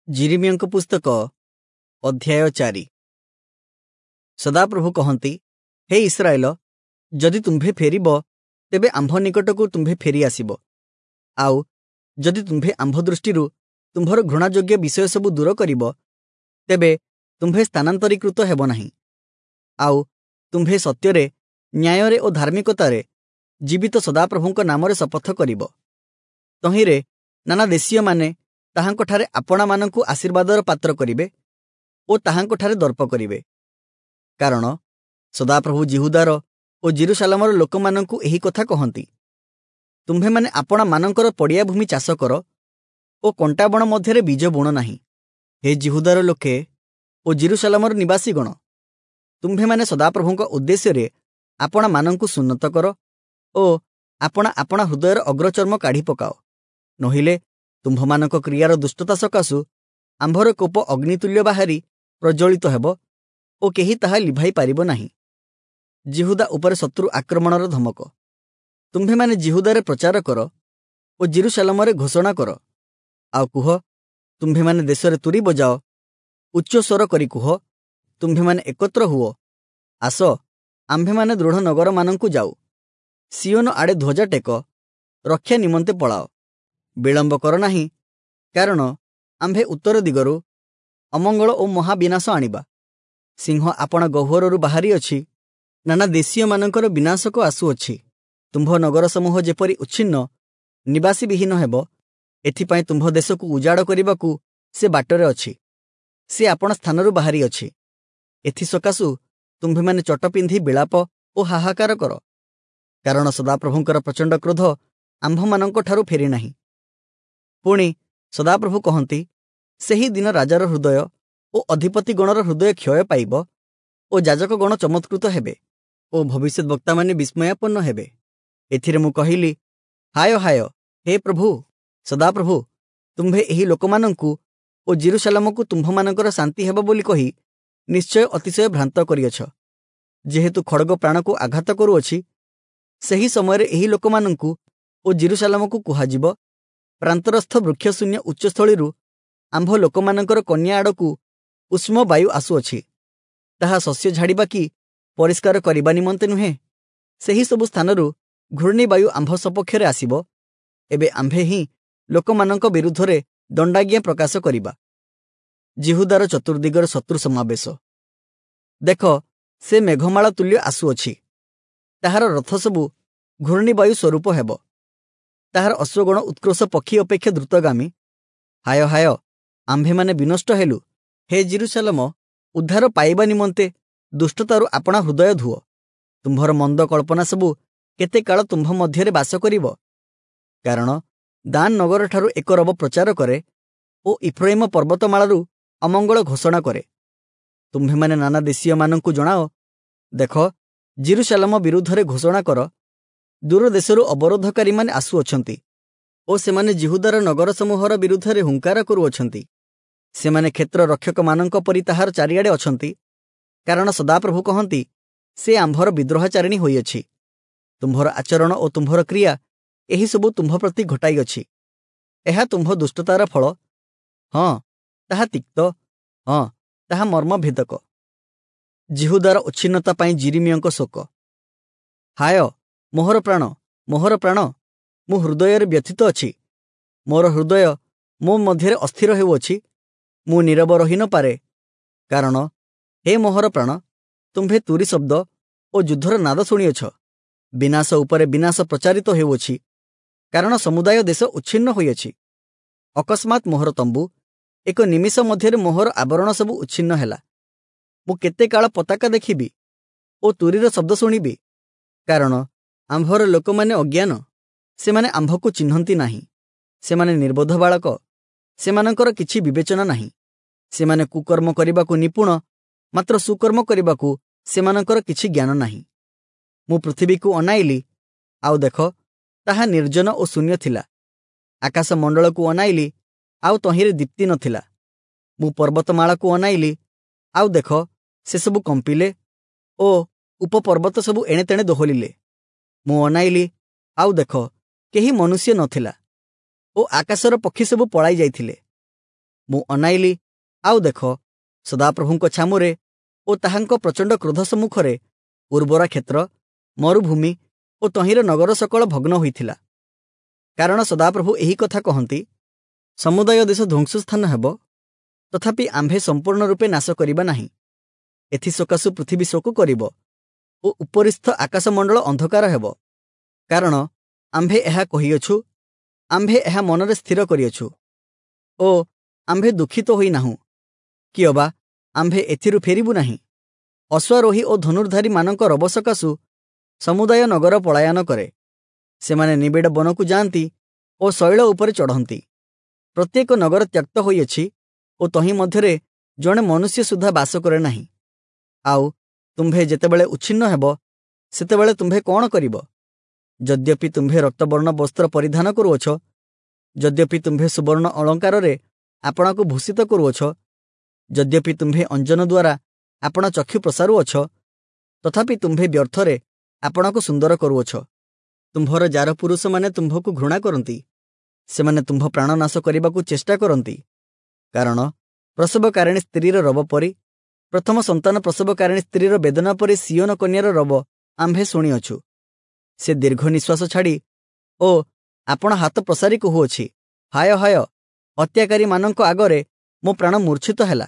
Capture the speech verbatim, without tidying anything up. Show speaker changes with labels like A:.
A: ଯିରିମିୟଙ୍କ ପୁସ୍ତକ ଅଧ୍ୟାୟ ଚାରି। ସଦାପ୍ରଭୁ କହନ୍ତି, ହେ ଇସ୍ରାଏଲ, ଯଦି ତୁମ୍ଭେ ଫେରିବ, ତେବେ ଆମ୍ଭ ନିକଟକୁ ତୁମ୍ଭେ ଫେରି ଆସିବ। ଆଉ ଯଦି ତୁମ୍ଭେ ଆମ୍ଭ ଦୃଷ୍ଟିରୁ ତୁମ୍ଭର ଘୃଣାଯୋଗ୍ୟ ବିଷୟ ସବୁ ଦୂର କରିବ, ତେବେ ତୁମ୍ଭେ ସ୍ଥାନାନ୍ତରୀକୃତ ହେବ ନାହିଁ। ଆଉ ତୁମ୍ଭେ ସତ୍ୟରେ, ନ୍ୟାୟରେ ଓ ଧାର୍ମିକତାରେ ଜୀବିତ ସଦାପ୍ରଭୁଙ୍କ ନାମରେ ଶପଥ କରିବ। ତହିଁରେ ନାନା ଦେଶୀୟମାନେ ତାହାଙ୍କଠାରେ ଆପଣାମାନଙ୍କୁ ଆଶୀର୍ବାଦର ପାତ୍ର କରିବେ ଓ ତାହାଙ୍କଠାରେ ଦର୍ପ କରିବେ। କାରଣ ସଦାପ୍ରଭୁ ଯିହୁଦାର ଓ ଯିରୂଶାଲମର ଲୋକମାନଙ୍କୁ ଏହି କଥା କହନ୍ତି, ତୁମ୍ଭେମାନେ ଆପଣାମାନଙ୍କର ପଡ଼ିଆ ଭୂମି ଚାଷ କର ଓ କଣ୍ଟାବଣ ମଧ୍ୟରେ ବୀଜ ବୁଣ ନାହିଁ। ହେ ଯିହୁଦାର ଲୋକେ ଓ ଯିରୂଶାଲମର ନିବାସୀଗଣ, ତୁମ୍ଭେମାନେ ସଦାପ୍ରଭୁଙ୍କ ଉଦ୍ଦେଶ୍ୟରେ ଆପଣାମାନଙ୍କୁ ସୁନ୍ନତ କର ଓ ଆପଣା ଆପଣା ହୃଦୟର ଅଗ୍ରଚର୍ମ କାଢ଼ି ପକାଅ। ନୋହିଲେ ତୁମ୍ଭମାନଙ୍କ କ୍ରିୟାର ଦୁଷ୍ଟତା ସକାଶୁ ଆମ୍ଭର କୋପ ଅଗ୍ନିତୁଲ୍ୟ ବାହାରି ପ୍ରଜ୍ୱଳିତ ହେବ ଓ କେହି ତାହା ଲିଭାଇ ପାରିବ ନାହିଁ। ଯିହୁଦା ଉପରେ ଶତ୍ରୁ ଆକ୍ରମଣର ଧମକ। ତୁମ୍ଭେମାନେ ଯିହୁଦାରେ ପ୍ରଚାର କର ଓ ଯିରୂଶାଲମରେ ଘୋଷଣା କର। ଆଉ କୁହ, ତୁମ୍ଭେମାନେ ଦେଶରେ ତୁରୀ ବଜାଅ, ଉଚ୍ଚ ସ୍ୱର କରି କୁହ, ତୁମ୍ଭେମାନେ ଏକତ୍ର ହୁଅ, ଆସ, ଆମ୍ଭେମାନେ ଦୃଢ଼ ନଗରମାନଙ୍କୁ ଯାଉ। ସିୟୋନ ଆଡ଼େ ଧ୍ୱଜା ଟେକ, ରକ୍ଷା ନିମନ୍ତେ ପଳାଅ। ବିଳମ୍ବ କର ନାହିଁ, କାରଣ ଆମ୍ଭେ ଉତ୍ତର ଦିଗରୁ ଅମଙ୍ଗଳ ଓ ମହାବିନାଶ ଆଣିବା। ସିଂହ ଆପଣା ଗହ୍ୱରରୁ ବାହାରିଅଛି, ନାନା ଦେଶୀୟମାନଙ୍କର ବିନାଶକ ଆସୁଅଛି। ତୁମ୍ଭ ନଗର ସମୂହ ଯେପରି ଉଚ୍ଛିନ୍ନ, ନିବାସୀବିହୀନ ହେବ, ଏଥିପାଇଁ ତୁମ୍ଭ ଦେଶକୁ ଉଜାଡ଼ କରିବାକୁ ସେ ବାଟରେ ଅଛି। ସେ ଆପଣା ସ୍ଥାନରୁ ବାହାରିଅଛି। ଏଥିସକାଶୁ ତୁମ୍ଭେମାନେ ଚଟ ପିନ୍ଧି ବିଳାପ ଓ ହାହାକାର କର, କାରଣ ସଦାପ୍ରଭୁଙ୍କର ପ୍ରଚଣ୍ଡ କ୍ରୋଧ ଆମ୍ଭମାନଙ୍କଠାରୁ ଫେରିନାହିଁ। ପୁଣି ସଦାପ୍ରଭୁ କହନ୍ତି, ସେହି ଦିନ ରାଜାର ହୃଦୟ ଓ ଅଧିପତିଗଣର ହୃଦୟ କ୍ଷୟ ପାଇବ ଓ ଯାଜକଗଣ ଚମତ୍କୃତ ହେବେ ଓ ଭବିଷ୍ୟଦ୍‌ବକ୍ତାମାନେ ବିସ୍ମୟାପନ୍ନ ହେବେ। ଏଥିରେ ମୁଁ କହିଲି, ହାୟ ହାୟ, ହେ ପ୍ରଭୁ ସଦାପ୍ରଭୁ, ତୁମ୍ଭେ ଏହି ଲୋକମାନଙ୍କୁ ଓ ଯିରୂଶାଲମକୁ ତୁମ୍ଭମାନଙ୍କର ଶାନ୍ତି ହେବ ବୋଲି କହି ନିଶ୍ଚୟ ଅତିଶୟ ଭ୍ରାନ୍ତ କରିଅଛ। ଯେହେତୁ ଖଡ଼ଗ ପ୍ରାଣକୁ ଆଘାତ କରୁଅଛି, ସେହି ସମୟରେ ଏହି ଲୋକମାନଙ୍କୁ ଓ ଯିରୂଶାଲମକୁ କୁହାଯିବ, ପ୍ରାନ୍ତରସ୍ଥ ବୃକ୍ଷଶୂନ୍ୟ ଉଚ୍ଚସ୍ଥଳୀରୁ ଆମ୍ଭ ଲୋକମାନଙ୍କର କନ୍ୟା ଆଡ଼କୁ ଉଷ୍ମ ବାୟୁ ଆସୁଅଛି। ତାହା ଶସ୍ୟ ଝାଡ଼ିବା କି ପରିଷ୍କାର କରିବା ନିମନ୍ତେ ନୁହେଁ। ସେହି ସବୁ ସ୍ଥାନରୁ ଘୂର୍ଣ୍ଣିବାୟୁ ଆମ୍ଭ ସପକ୍ଷରେ ଆସିବ। ଏବେ ଆମ୍ଭେ ହିଁ ଲୋକମାନଙ୍କ ବିରୁଦ୍ଧରେ ଦଣ୍ଡାଜ୍ଞା ପ୍ରକାଶ କରିବା। ଯିହୁଦାର ଚତୁର୍ଦିଗର ଶତ୍ରୁ ସମାବେଶ। ଦେଖ, ସେ ମେଘମାଳା ତୁଲ୍ୟ ଆସୁଅଛି। ତାହାର ରଥ ସବୁ ଘୂର୍ଣ୍ଣିବାୟୁ ସ୍ୱରୂପ ହେବ। ତାହାର ଅଶ୍ୱଗଣ ଉତ୍କ୍ରୋଶ ପକ୍ଷୀ ଅପେକ୍ଷା ଦ୍ରୁତଗାମୀ। ହାୟ ହାୟ, ଆମ୍ଭେମାନେ ବିନଷ୍ଟ ହେଲୁ। ହେ ଯିରୂଶାଲମ, ଉଦ୍ଧାର ପାଇବା ନିମନ୍ତେ ଦୁଷ୍ଟତାରୁ ଆପଣା ହୃଦୟ ଧୁଅ। ତୁମ୍ଭର ମନ୍ଦ କଳ୍ପନା ସବୁ କେତେ କାଳ ତୁମ୍ଭ ମଧ୍ୟରେ ବାସ କରିବ? କାରଣ ଦାନ ନଗରଠାରୁ ଏକ ରବ ପ୍ରଚାର କରେ ଓ ଇଫ୍ରାଇମ ପର୍ବତମାଳାରୁ ଅମଙ୍ଗଳ ଘୋଷଣା କରେ। ତୁମ୍ଭେମାନେ ନାନା ଦେଶୀୟମାନଙ୍କୁ ଜଣାଅ, ଦେଖ, ଯିରୂଶାଲମ ବିରୁଦ୍ଧରେ ଘୋଷଣା କର, ଦୂର ଦେଶରୁ ଅବରୋଧକାରୀମାନେ ଆସୁଅଛନ୍ତି ଓ ସେମାନେ ଯିହୁଦାର ନଗର ସମୂହର ବିରୁଦ୍ଧରେ ହୁଙ୍କାର କରୁଅଛନ୍ତି। ସେମାନେ କ୍ଷେତ୍ର ରକ୍ଷକମାନଙ୍କ ପରି ତାହାର ଚାରିଆଡ଼େ ଅଛନ୍ତି। କାରଣ ସଦାପ୍ରଭୁ କହନ୍ତି, ସେ ଆମ୍ଭର ବିଦ୍ରୋହାଚାରିଣୀ ହୋଇଅଛି। ତୁମ୍ଭର ଆଚରଣ ଓ ତୁମ୍ଭର କ୍ରିୟା ଏହିସବୁ ତୁମ୍ଭ ପ୍ରତି ଘଟାଇଅଛି। ଏହା ତୁମ୍ଭ ଦୁଷ୍ଟତାର ଫଳ। ହଁ, ତାହା ତିକ୍ତ, ହଁ, ତାହା ମର୍ମଭେଦକ। ଯିହୁଦାର ଉଚ୍ଛିନ୍ନତା ପାଇଁ ଯିରିମିୟଙ୍କ ଶୋକ। ହାୟ ମୋହର ପ୍ରାଣ, ମୋହର ପ୍ରାଣ, ମୁଁ ହୃଦୟରେ ବ୍ୟଥିତ ଅଛି। ମୋର ହୃଦୟ ମୋ ମଧ୍ୟରେ ଅସ୍ଥିର ହେଉଅଛି। ମୁଁ ନୀରବ ରହି ନପାରେ। କାରଣ ହେ ମୋହର ପ୍ରାଣ, ତୁମ୍ଭେ ତୁରୀ ଶବ୍ଦ ଓ ଯୁଦ୍ଧର ନାଦ ଶୁଣିଅଛ। ବିନାଶ ଉପରେ ବିନାଶ ପ୍ରଚାରିତ ହେଉଅଛି, କାରଣ ସମୁଦାୟ ଦେଶ ଉଚ୍ଛିନ୍ନ ହୋଇଅଛି। ଅକସ୍ମାତ୍ ମୋହର ତମ୍ବୁ ଏକ ନିମିଷ ମଧ୍ୟରେ ମୋହର ଆବରଣ ସବୁ ଉଚ୍ଛିନ୍ନ ହେଲା। ମୁଁ କେତେ କାଳ ପତାକା ଦେଖିବି ଓ ତୁରୀର ଶବ୍ଦ ଶୁଣିବି? କାରଣ ଆମ୍ଭର ଲୋକମାନେ ଅଜ୍ଞାନ, ସେମାନେ ଆମ୍ଭକୁ ଚିହ୍ନନ୍ତି ନାହିଁ। ସେମାନେ ନିର୍ବୋଧ ବାଳକ, ସେମାନଙ୍କର କିଛି ବିବେଚନା ନାହିଁ। ସେମାନେ କୁକର୍ମ କରିବାକୁ ନିପୁଣ, ମାତ୍ର ସୁକର୍ମ କରିବାକୁ ସେମାନଙ୍କର କିଛି ଜ୍ଞାନ ନାହିଁ। ମୁଁ ପୃଥିବୀକୁ ଅନାଇଲି, ଆଉ ଦେଖ, ତାହା ନିର୍ଜନ ଓ ଶୂନ୍ୟ ଥିଲା। ଆକାଶ ମଣ୍ଡଳକୁ ଅନାଇଲି, ଆଉ ତହିଁରେ ଦୀପ୍ତି ନଥିଲା। ମୁଁ ପର୍ବତମାଳାକୁ ଅନାଇଲି, ଆଉ ଦେଖ, ସେସବୁ କମ୍ପିଲେ ଓ ଉପପର୍ବତ ସବୁ ଏଣେତେଣେ ଦୋହଲିଲେ। ମୁଁ ଅନାଇଲି, ଆଉ ଦେଖ, କେହି ମନୁଷ୍ୟ ନଥିଲା ଓ ଆକାଶର ପକ୍ଷୀ ସବୁ ପଳାଇ ଯାଇଥିଲେ। ମୁଁ ଅନାଇଲି, ଆଉ ଦେଖ, ସଦାପ୍ରଭୁଙ୍କ ଛାମୁରେ ଓ ତାହାଙ୍କ ପ୍ରଚଣ୍ଡ କ୍ରୋଧ ସମ୍ମୁଖରେ ଉର୍ବରା କ୍ଷେତ୍ର, ମରୁଭୂମି ଓ ତହିଁର ନଗର ସକଳ ଭଗ୍ନ ହୋଇଥିଲା। କାରଣ ସଦାପ୍ରଭୁ ଏହି କଥା କହନ୍ତି, ସମୁଦାୟ ଦେଶ ଧ୍ୱଂସସ୍ଥାନ ହେବ, ତଥାପି ଆମ୍ଭେ ସମ୍ପୂର୍ଣ୍ଣ ରୂପେ ନାଶ କରିବା ନାହିଁ। ଏଥିସକାଶୁ ପୃଥିବୀ ଶୋକ କରିବ ଓ ଉପରିସ୍ଥ ଆକାଶମଣ୍ଡଳ ଅନ୍ଧକାର ହେବ। କାରଣ ଆମ୍ଭେ ଏହା କହିଅଛୁ, ଆମ୍ଭେ ଏହା ମନରେ ସ୍ଥିର କରିଅଛୁ ଓ ଆମ୍ଭେ ଦୁଃଖିତ ହୋଇନାହୁଁ, କିଅବା ଆମ୍ଭେ ଏଥିରୁ ଫେରିବୁ ନାହିଁ। ଅଶ୍ୱାରୋହୀ ଓ ଧନୁର୍ଧାରୀମାନଙ୍କ ରବ ସକାଶୁ ସମୁଦାୟ ନଗର ପଳାୟନ କରେ। ସେମାନେ ନିବିଡ଼ ବନକୁ ଯାଆନ୍ତି ଓ ଶୈଳ ଉପରେ ଚଢ଼ନ୍ତି। ପ୍ରତ୍ୟେକ ନଗର ତ୍ୟକ୍ତ ହୋଇଅଛି ଓ ତହିଁ ମଧ୍ୟରେ ଜଣେ ମନୁଷ୍ୟ ସୁଦ୍ଧା ବାସ କରେ ନାହିଁ। ଆଉ ତୁମ୍ଭେ ଯେତେବେଳେ ଉଚ୍ଛିନ୍ନ ହେବ, ସେତେବେଳେ ତୁମ୍ଭେ କ'ଣ କରିବ? ଯଦ୍ୟପି ତୁମ୍ଭେ ରକ୍ତବର୍ଣ୍ଣ ବସ୍ତ୍ର ପରିଧାନ କରୁଅଛ, ଯଦ୍ୟପି ତୁମ୍ଭେ ସୁବର୍ଣ୍ଣ ଅଳଙ୍କାରରେ ଆପଣାକୁ ଭୂଷିତ କରୁଅଛ, ଯଦ୍ୟପି ତୁମ୍ଭେ ଅଞ୍ଜନ ଦ୍ୱାରା ଆପଣା ଚକ୍ଷୁ ପ୍ରସାରୁଅଛ, ତଥାପି ତୁମ୍ଭେ ବ୍ୟର୍ଥରେ ଆପଣାକୁ ସୁନ୍ଦର କରୁଅଛ। ତୁମ୍ଭର ଜାର ପୁରୁଷମାନେ ତୁମ୍ଭକୁ ଘୃଣା କରନ୍ତି, ସେମାନେ ତୁମ୍ଭ ପ୍ରାଣ ନାଶ କରିବାକୁ ଚେଷ୍ଟା କରନ୍ତି। କାରଣ ପ୍ରସବକାରିଣୀ ସ୍ତ୍ରୀର ରବ ପରି, ପ୍ରଥମ ସନ୍ତାନ ପ୍ରସବକାରିଣୀ ସ୍ତ୍ରୀର ବେଦନା ପରି ସିୟୋନ କନ୍ୟାର ରବ ଆମ୍ଭେ ଶୁଣିଅଛୁ। ସେ ଦୀର୍ଘ ନିଶ୍ୱାସ ଛାଡ଼ି ଓ ଆପଣା ହାତ ପ୍ରସାରି କହୁଅଛି, ହାୟ ହାୟ, ହତ୍ୟାକାରୀମାନଙ୍କ ଆଗରେ ମୋ ପ୍ରାଣ ମୂର୍ଚ୍ଛିତ ହେଲା।